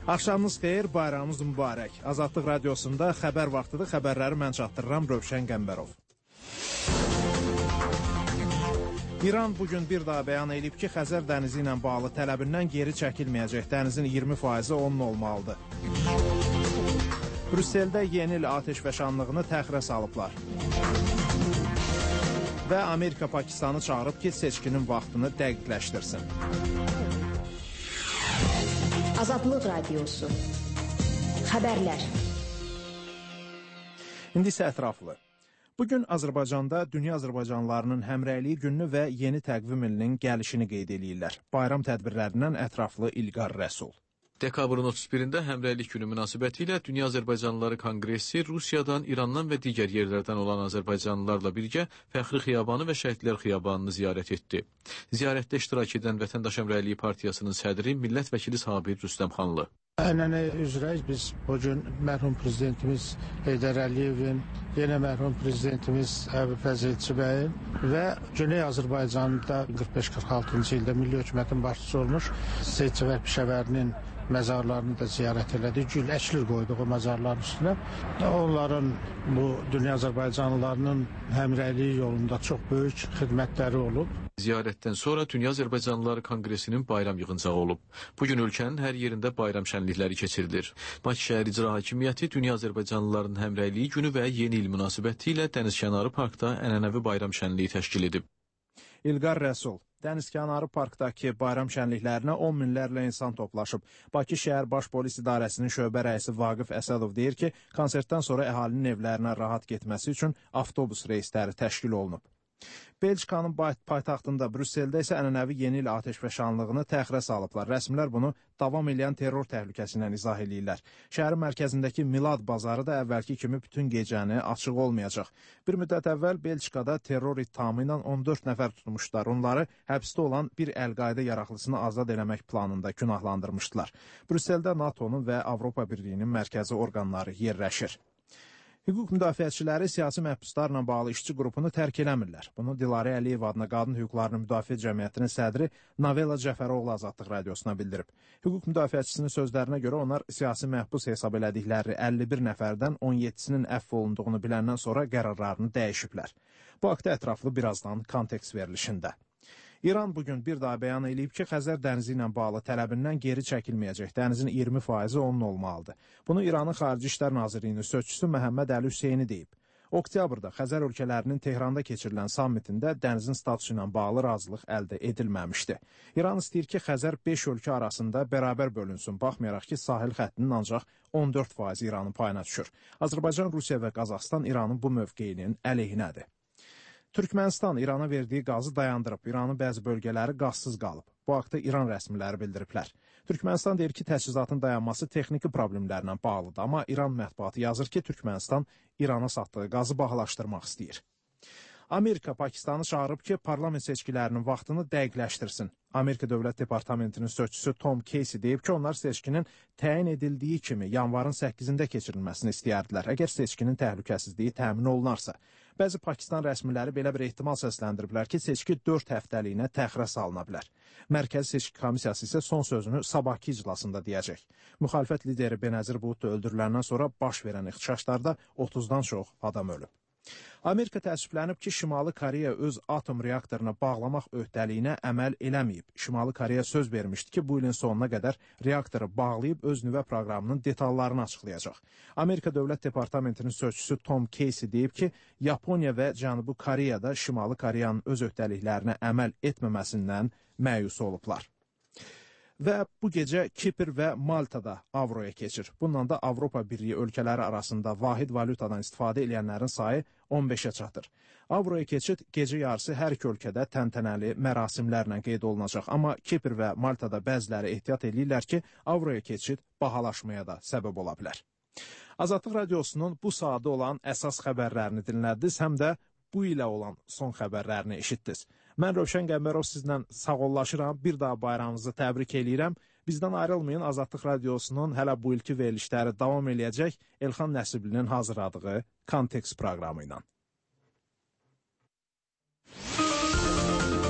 Axşamınız xeyir, bayramınız mübarək. Azadlıq radiosunda xəbər vaxtıdır, xəbərləri mən çatdırıram, Rövşən Qəmbərov. İran bugün bir daha bəyan edib ki, Xəzər dənizi ilə bağlı tələbindən geri çəkilməyəcək. Dənizin 20% onun olmalıdır. Brüsseldə yeni il atəşfəşanlığını təxirə salıblar. Və Amerika Pakistanı çağırıb ki, seçkinin vaxtını dəqiqləşdirsin. Azadlıq Radiosu. Xəbərlər. İndi isə ətraflı. Bugün Azərbaycanda dünya azərbaycanlılarının həmrəyliyi gününü və yeni təqvim ilinin gəlişini qeyd edirlər. Bayram tədbirlərindən ətraflı İlqar Rəsul. Dekabrın 31-də Həmrəylik günü münasibətilə Dünya Azərbaycanlıları Konqresi Rusiyadan, İrandan və digər yerlərdən olan azərbaycanlılarla birgə Fəxri Xiyabanı və Şəhidlər Xiyabanını ziyarət etdi. Ziyarətdə iştirak edən Vətəndaş Həmrəyliyi Partiyasının sədri millət vəkili Sabir Rüstəmxanlı. Ənənə üzrə biz bugün mərhum prezidentimiz Heydər Əliyevin, yenə mərhum prezidentimiz Əbu Fəzilçi bəyin və Güney Azərbaycanda 45-46-cı ildə Milli Hökumətin başçısı olmuş Seyid Cəfər Pişəvərinin məzarlarını da ziyarət elədik. Gül əklir qoyduq o məzarların üstünə. Onların bu dünya azərbaycanlılarının həmrəyliyi yolunda çox böyük xidmətləri olub. Ziyarətdən sonra Dünya Azərbaycanlıları Konqresinin bayram yığıncağı olub. Bugün ölkənin hər yerində bayram şənlikləri keçirilir. Bakı şəhər İcra Hakimiyyəti Dünya Azərbaycanlılarının həmrəyliyi günü və yeni il münasibətilə Dənizkənarı Parkda ənənəvi bayram şənliyi təşkil edib. İlqar Rəsul. Dənizkənarı parkdakı bayram şənliklərinə 10 minlərlə insan toplaşıb. Bakı şəhər Baş Polis İdarəsinin şöbə rəisi Vaqif Əsədov deyir ki, konsertdən sonra əhalinin evlərinə rahat getməsi üçün avtobus reysləri təşkil olunub. Belçikanın paytaxtında Brüsseldə isə ənənəvi yeni il atəşfəşanlığını təxirə salıblar. Rəsmilər bunu davam edən terror təhlükəsi ilə izah edirlər. Şəhərin mərkəzindəki Milad bazarı da əvvəlki kimi bütün gecəni açıq olmayacaq. Bir müddət əvvəl Belçikada terror ittihamı ilə 14 nəfər tutmuşlar. Onları həbsdə olan bir Əl-Qaidə yaraqlısını azad eləmək planında günahlandırmışdılar. Brüsseldə NATO-nun və Avropa Birliyinin mərkəzi orqanları yerləşir. Hüquq müdafiəçiləri siyasi məhbuslarla bağlı işçi qrupunu tərk eləmirlər. Bunu Dilarə Əliyev adına Qadın Hüquqlarını Müdafiə Cəmiyyətinin sədri Navela Cəfəroğlu Azadlıq Radiosuna bildirib. Hüquq müdafiəçisinin sözlərinə görə onlar siyasi məhbus hesab elədikləri 51 nəfərdən 17-sinin əfv olunduğunu biləndən sonra qərarlarını dəyişiblər. Bu haqda ətraflı birazdan kontekst verilişində. İran bugün bir daha bəyan edib ki, Xəzər dənizi ilə bağlı tələbindən geri çəkilməyəcək. Dənizin 20% onun olmalıdır. Bunu İranın Xarici İşlər Nazirliyinin sözçüsü Məhəmməd Əli Hüseyni deyib. Oktyabrda Xəzər ölkələrinin Tehranda keçirilən sammitində dənizin statusu ilə bağlı razılıq əldə edilməmişdi. İran istəyir ki, Xəzər 5 ölkə arasında bərabər bölünsün, baxmayaraq ki, sahil xəttinin ancaq 14% İranın payına düşür. Azərbaycan, Rusiya və Qazaxstan İranın bu mövqeyinin əleyhinədir. Türkmənistan İrana verdiyi qazı dayandırıb. İranın bəzi bölgələri qazsız qalıb. Bu haqda İran rəsmiləri bildiriblər. Türkmənistan deyir ki, təchizatın dayanması texniki problemlərlə bağlıdır. Amma İran mətbuatı yazır ki, Türkmənistan İrana satdığı qazı bahalaşdırmaq istəyir. Amerika Pakistanı çağırıb ki, parlament seçkilərinin vaxtını dəqiqləşdirsin. Amerika Dövlət Departamentinin sözçüsü Tom Casey deyib ki, onlar seçkinin təyin edildiyi kimi yanvarın 8-də keçirilməsini istəyərdilər, əgər seçkinin təhlükəsizliyi təmin olunarsa. Bəzi Pakistan rəsmiləri belə bir ehtimal səsləndiriblər ki, seçki 4 həftəliyinə təxirə salına bilər. Mərkəzi Seçki Komissiyası isə son sözünü sabahki iclasında deyəcək. Müxalifət lideri Benazir Bhutto öldürüləndən sonra baş verən ixtişaşlarda 30-dan çox adam ölüb. Amerika təəssüflənib ki, Şimali Koreya öz atom reaktoruna bağlamaq öhdəliyinə əməl eləməyib. Şimali Koreya söz vermişdi ki, bu ilin sonuna qədər reaktoru bağlayıb öz nüvə proqramının detallarını açıqlayacaq. Amerika Dövlət Departamentinin sözçüsü Tom Casey deyib ki, Yaponiya və Cənubi Koreyada Şimali Koreyanın öz öhdəliklərinə əməl etməməsindən məyus olublar. Və bu gecə Kipr və Maltada avroya keçir. Bundan da Avropa Birliyi ölkələri arasında vahid valutadan istifadə edənlərin sayı 15-ə çatır. Avroya keçid gecə yarısı hər iki ölkədə təntənəli mərasimlərlə qeyd olunacaq. Amma Kipr və Maltada bəziləri ehtiyat edirlər ki, avroya keçid bahalaşmaya da səbəb ola bilər. Azadlıq Radiosunun bu saatda olan əsas xəbərlərini dinlədiniz, həm də bu ilə olan son xəbərlərini eşitdiniz. Mən Rövşən Qəmbərov sizlə sağollaşıram, bir daha bayramınızı təbrik eləyirəm. Bizdən ayrılmayın, Azadlıq Radiosunun hələ bu ilki verilişləri davam eləyəcək Elxan Nəsiblinin hazırladığı Kontekst proqramı ilə.